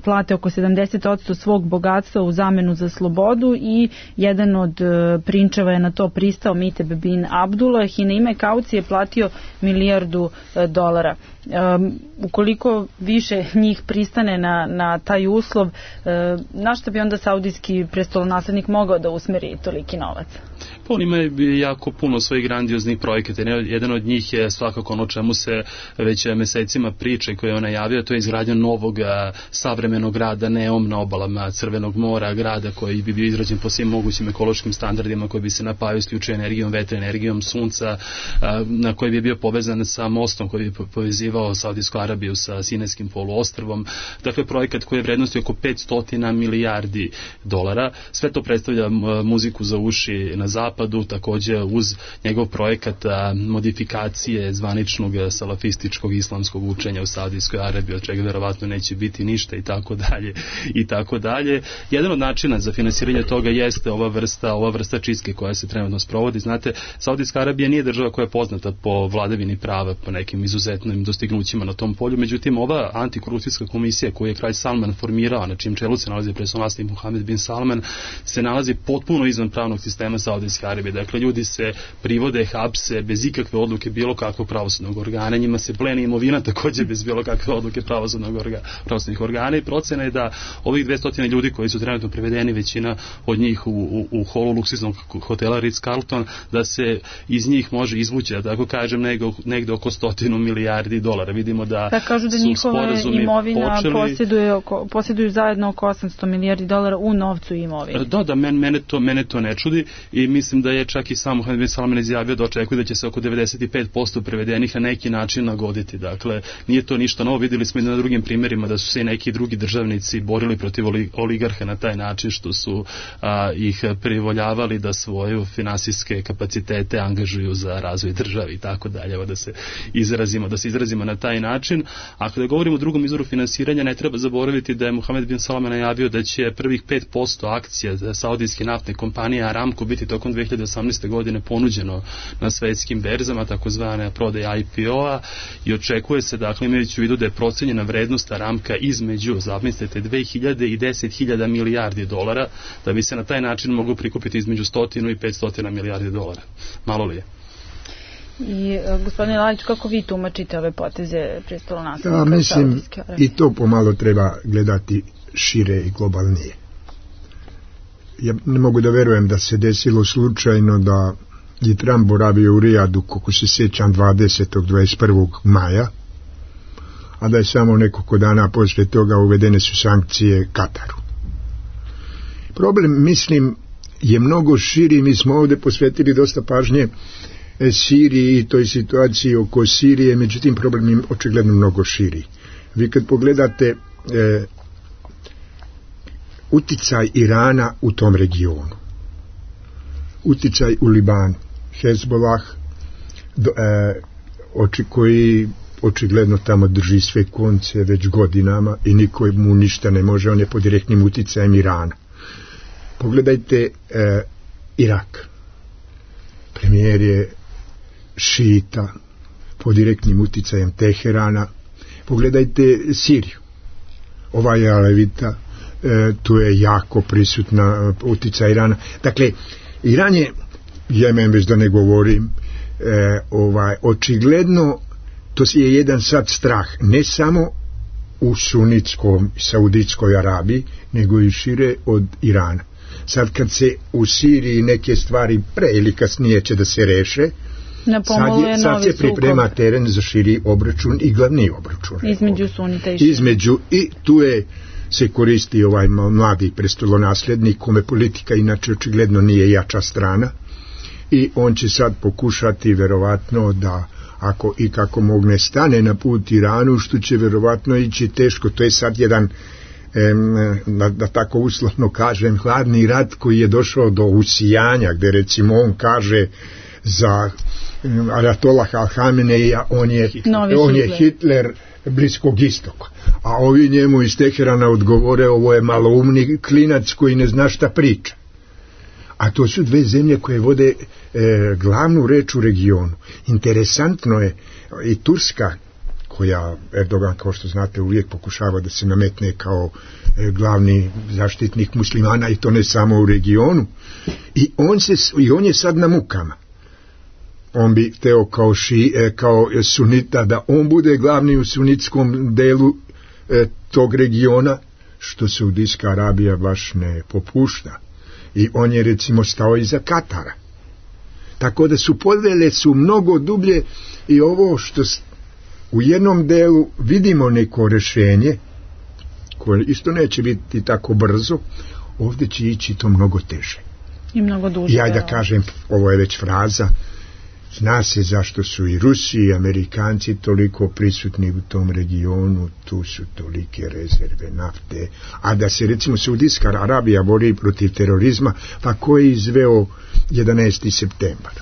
plate oko sedamdeset posto svog bogatstva u zamenu za slobodu i jedan od e, prinčeva je na to pristao, Miteb bin Abdullah, i na ime kaucije platio milijardu dolara. Um, ukoliko više njih pristane na, na taj uslov, um, na što bi onda saudijski prestolonaslednik mogao da usmeri toliki novac? Pa on ima jako puno svojih grandioznih projekata. Jedan od njih je svakako ono čemu se već mesecima priča i koje je on najavio, to je izgradnja novog savremenog grada Neom na obalama Crvenog mora, grada koji bi bio izrađen po svim mogućim ekološkim standardima, koji bi se napajao isključio energijom vetra, energijom sunca, na koji bi bio povezan sa mostom koji bi povezivao Saudijsku Arabiju sa Sinajskim poluostrvom. Dakle, projekat koji je vrednosti oko petsto milijardi dolara. Sve to predstavlja muziku za uši na zapadu, takođe uz njegov projekat a, modifikacije zvaničnog salafističkog islamskog učenja u Saudijskoj Arabiji, od čega verovatno neće biti ništa i tako dalje i tako dalje. Jedan od načina za finansiranje toga jeste ova vrsta, ova vrsta čistke koja se trenutno sprovodi. Znate, Saudijska Arabija nije država koja je poznata po vladavini prava, po nekim izuzetnim dostignućima na tom polju, međutim ova antikorupcijska komisija koju je kralj Salman formirao, na čijem čelu se nalazi prestolonaslednik Muhamed bin Salman, se nalazi potpuno izvan pravnog sistema Saudijske Arabije. Dakle, ljudi se privode, hapse bez ikakve odluke bilo kakvog pravosudnog organa, njima se pleni imovina takođe bez bilo kakve odluke pravosudnog organa, pravosudnih organa, i procena je da ovih dvesta ljudi koji su trenutno prevedeni, većina od njih u, u, u holu luksuznog hotela Ritz-Carlton, da se iz njih može izvući, da tako kažem, negde, negde oko stotinu milijardi dolara. Vidimo da, da kažu da njihova imovina počeli... posjeduje oko, posjeduju zajedno oko osamsto milijardi dolara u novcu i imovini. Da, da, men, mene, to, mene to ne čudi i mislim da je čak i sam Muhamed bin Salman izjavio da očekuje da će se oko devedeset pet posto prevedenih na neki način nagoditi. Dakle, nije to ništa novo. Vidjeli smo i na drugim primjerima da su se i neki drugi državnici borili protiv oligarha na taj način što su a, ih privoljavali da svoje finansijske kapacitete angažuju za razvoj države i tako dalje. Da se izrazimo, da se izrazimo na taj način. A kada govorimo o drugom izvoru finansiranja, ne treba zaboraviti da je Muhamed bin Salman najavio da će prvih pet posto akcija saudijske naftne kompanije Aramco biti tokom dve hiljade osamnaeste. godine ponuđeno na svetskim berzama, takozvane prodaje I P O-a, i očekuje se, dakle, imajući u vidu da je procenjena vrednost Aramka između, zamislite, dve hiljade i deset hiljada milijardi dolara, da bi se na taj način moglo prikupiti između stotinu i petsto milijardi dolara. Malo li je? I gospodine Lalić, kako vi tumačite ove poteze prestolonaslednika? Ja mislim, i to pomalo treba gledati šire i globalnije. Ja ne mogu da verujem da se desilo slučajno da je Trump boravio u Rijadu, kako se sjećam, dvadesetog do dvadeset prvog maja, a da je samo nekoliko dana posle toga uvedene su sankcije Kataru. Problem, mislim, je mnogo širi. Mi smo ovde posvetili dosta pažnje Siriji i toj situaciji oko Sirije, međutim problem je očigledno mnogo širi. Vi kad pogledate e, uticaj Irana u tom regionu, uticaj u Libanu, Hezbollah, do, e, oči koji očigledno tamo drži sve konce već godinama i niko mu ništa ne može, on je pod direktnim uticajem Irana. Pogledajte e, Irak. Premijer je šita pod direktnim uticajem Teherana. Pogledajte Siriju. Ova je alevita, e, tu je jako prisutna uticaj Irana. Dakle, Iran je, Jemen već da ne govorim, e, ovaj, očigledno to je jedan sad strah, ne samo u sunitskom Saudijskoj Arabiji, nego i šire od Irana. Sad kad se u Siriji neke stvari pre ili kasnije će da se reše, sad, je, sad se priprema sukob. Teren za širi obračun i glavni obračun. Između sunita i šira. Između, i tu je se koristi ovaj mladi prestolonaslednik, kome politika inače očigledno nije jača strana, i on će sad pokušati verovatno da ako i kako mogne stane na put Iranu, što će verovatno ići teško. To je sad jedan em, da, da tako uslovno kažem hladni rat koji je došao do usijanja, gde recimo on kaže za Ajatollah Al-Hameneja on je, on je Hitler Bliskog istoka, a ovi njemu iz Teherana odgovore ovo je maloumni klinac koji ne zna šta priča. A to su dve zemlje koje vode e, glavnu reč u regionu. Interesantno je i Turska, koja Erdogan, kao što znate, uvijek pokušava da se nametne kao e, glavni zaštitnik muslimana, i to ne samo u regionu, i on, se, i on je sad na mukama. On bi hteo kao, ši, e, kao sunita da on bude glavni u sunitskom delu e, tog regiona, što Saudijska Arabija baš ne popušta. I on je recimo stao iza Katara. Tako da su podele su mnogo dublje, i ovo što u jednom delu vidimo neko rešenje, koje isto neće biti tako brzo, ovdje će ići to mnogo teže. I mnogo duže. Ja da kažem, ovo je već fraza, zna se zašto su i Rusi i Amerikanci toliko prisutni u tom regionu, tu su tolike rezerve nafte, a da se recimo Saudijska Arabija bori protiv terorizma, pa ko je izveo jedanaesti septembar?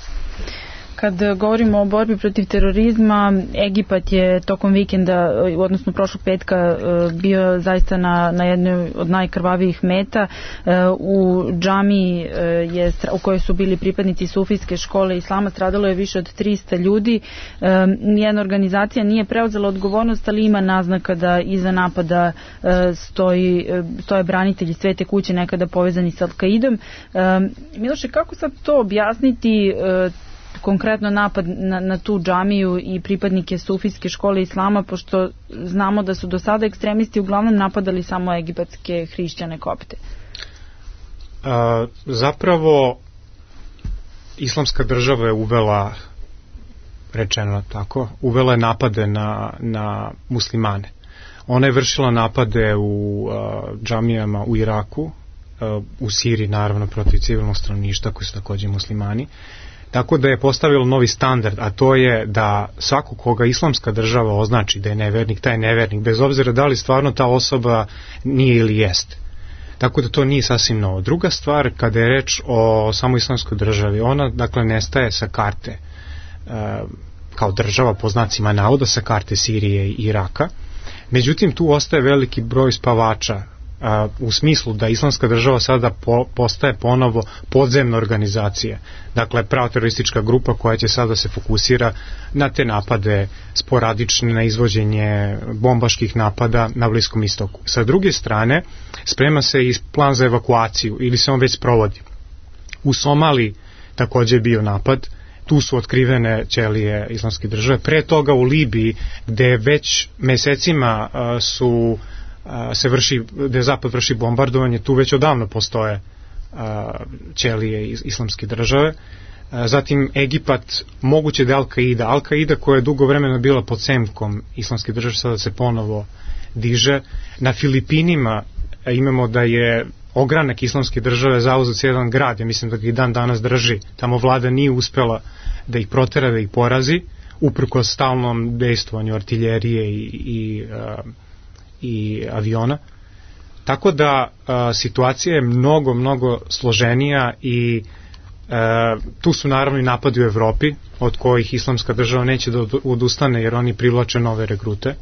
Kad govorimo o borbi protiv terorizma, Egipat je tokom vikenda, odnosno prošlog petka, bio zaista na, na jednoj od najkrvavijih meta. U džamiji je, u kojoj su bili pripadnici sufijske škole islama, stradalo je više od trista ljudi. Nijedna organizacija nije preuzela odgovornost, ali ima naznaka da iza napada stoji, stoje branitelji Svete kuće, nekada povezani sa Al-Kaidom. Miloše, kako sad to objasniti, konkretno napad na, na tu džamiju i pripadnike sufijske škole islama, pošto znamo da su do sada ekstremisti uglavnom napadali samo egipatske hrišćane kopte? A, zapravo islamska država je uvela, rečeno tako, uvela je napade na, na muslimane. Ona je vršila napade u a, džamijama u Iraku, a, u Siriji naravno protiv civilnog stanovništva koji su takođe muslimani. Tako da je postavilo novi standard, a to je da svako koga islamska država označi da je nevernik, taj je nevernik, bez obzira da li stvarno ta osoba nije ili jeste. Tako da to nije sasvim novo. Druga stvar, kada je reč o samo islamskoj državi, ona dakle nestaje sa karte e, kao država po znacima navoda, sa karte Sirije i Iraka. Međutim, tu ostaje veliki broj spavača, a, u smislu da islamska država sada po, postaje ponovo podzemna organizacija, dakle pravoteroristička grupa koja će sada se fokusira na te napade sporadične, na izvođenje bombaških napada na Bliskom istoku. Sa druge strane, sprema se i plan za evakuaciju, ili se on već sprovodi. U Somaliji takođe je bio napad, tu su otkrivene ćelije islamske države. Pre toga u Libiji, gde već mesecima a, su a, se vrši, gde Zapad vrši bombardovanje, tu već odavno postoje a, ćelije islamske države. A, zatim Egipat, moguće da je Al-Kaida. Al-Kaida koja je dugo vremena bila pod senkom islamske države, sada se ponovo diže. Na Filipinima a, imamo da je ogranak islamske države zauzet jedan grad, ja mislim da ga i dan danas drži. Tamo vlada nije uspela da ih protera, da ih porazi, uprkos stalnom dejstvanju artiljerije i, i, uh, i aviona. Tako da uh, situacija je mnogo, mnogo složenija i uh, tu su naravno i napadi u Evropi, od kojih islamska država neće da odustane jer oni privlače nove regrute.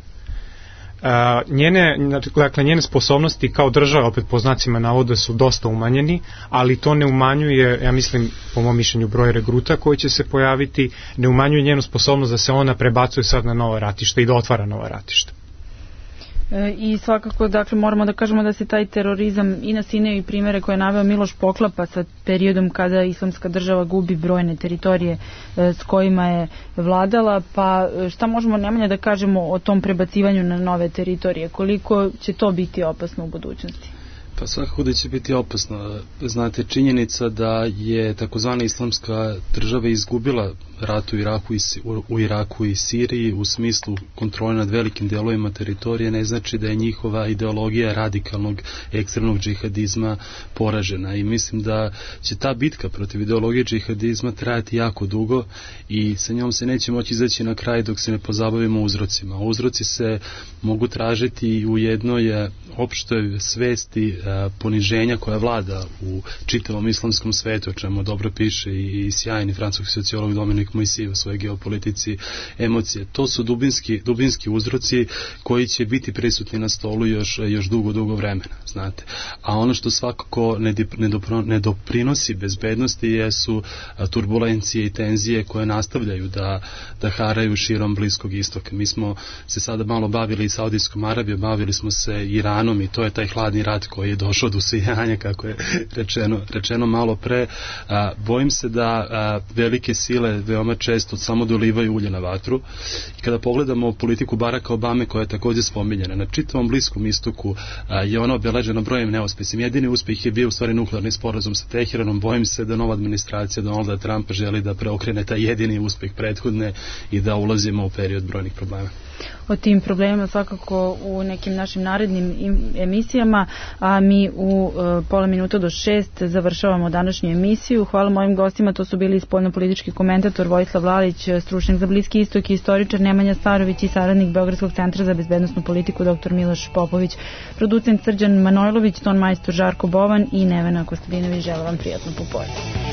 njene, dakle, njene sposobnosti kao država, opet po znacima navoda, su dosta umanjeni, ali to ne umanjuje, ja mislim, po mom mišljenju, broj regruta koji će se pojaviti, ne umanjuje njenu sposobnost da se ona prebacuje sad na nova ratišta i da otvara nova ratišta. I svakako, dakle, moramo da kažemo da se taj terorizam i na Sineju i primere koje je naveo Miloš poklapa sa periodom kada Islamska država gubi brojne teritorije s kojima je vladala, pa šta možemo najmanje da kažemo o tom prebacivanju na nove teritorije, koliko će to biti opasno u budućnosti? Pa svakako da će biti opasno. Znate, činjenica da je takozvana Islamska država izgubila rat u Iraku i, u Iraku i Siriji u smislu kontrole nad velikim delovima teritorije ne znači da je njihova ideologija radikalnog ekstremnog džihadizma poražena i mislim da će ta bitka protiv ideologije džihadizma trajati jako dugo i sa njom se neće moći izaći na kraj dok se ne pozabavimo uzrocima. Uzroci se mogu tražiti u jednoj opštoj svesti poniženja koja vlada u čitavom islamskom svetu, o čemu dobro piše i sjajni francuski sociolog Dominik Moisy u svojoj geopolitici emocije. To su dubinski, dubinski uzroci koji će biti prisutni na stolu još, još dugo, dugo vremena, znate. A ono što svakako ne, ne, dopro, ne doprinosi bezbednosti jesu turbulencije i tenzije koje nastavljaju da, da haraju širom Bliskog istoka. Mi smo se sada malo bavili i Saudijskom Arabijom, bavili smo se Iranom i to je taj hladni rat koji je došao do usijanja, kako je rečeno, rečeno malo pre. A, bojim se da a, velike sile veoma često samo dolivaju ulje na vatru i kada pogledamo politiku Baracka Obame koja je također spominjena, na čitavom Bliskom istoku a, je ona obeležena brojem neuspesnim. Jedini uspeh je bio u stvari nuklearni sporazum sa Teheranom. Bojim se da nova administracija Donalda Trumpa želi da preokrene taj jedini uspeh prethodne i da ulazimo u period brojnih problema. O tim problemima svakako u nekim našim narednim emisijama, a mi u e, pola minuta do šest završavamo današnju emisiju. Hvala mojim gostima, to su bili spoljnopolitički komentator Vojislav Lalić, stručnjak za Bliski istok i istoričar Nemanja Starović i saradnik Beogradskog centra za bezbednosnu politiku doktor Miloš Popović, producent Srđan Manojlović, ton majstor Žarko Bovan i Nevena Kostadinović. Želim vam prijatno popodne.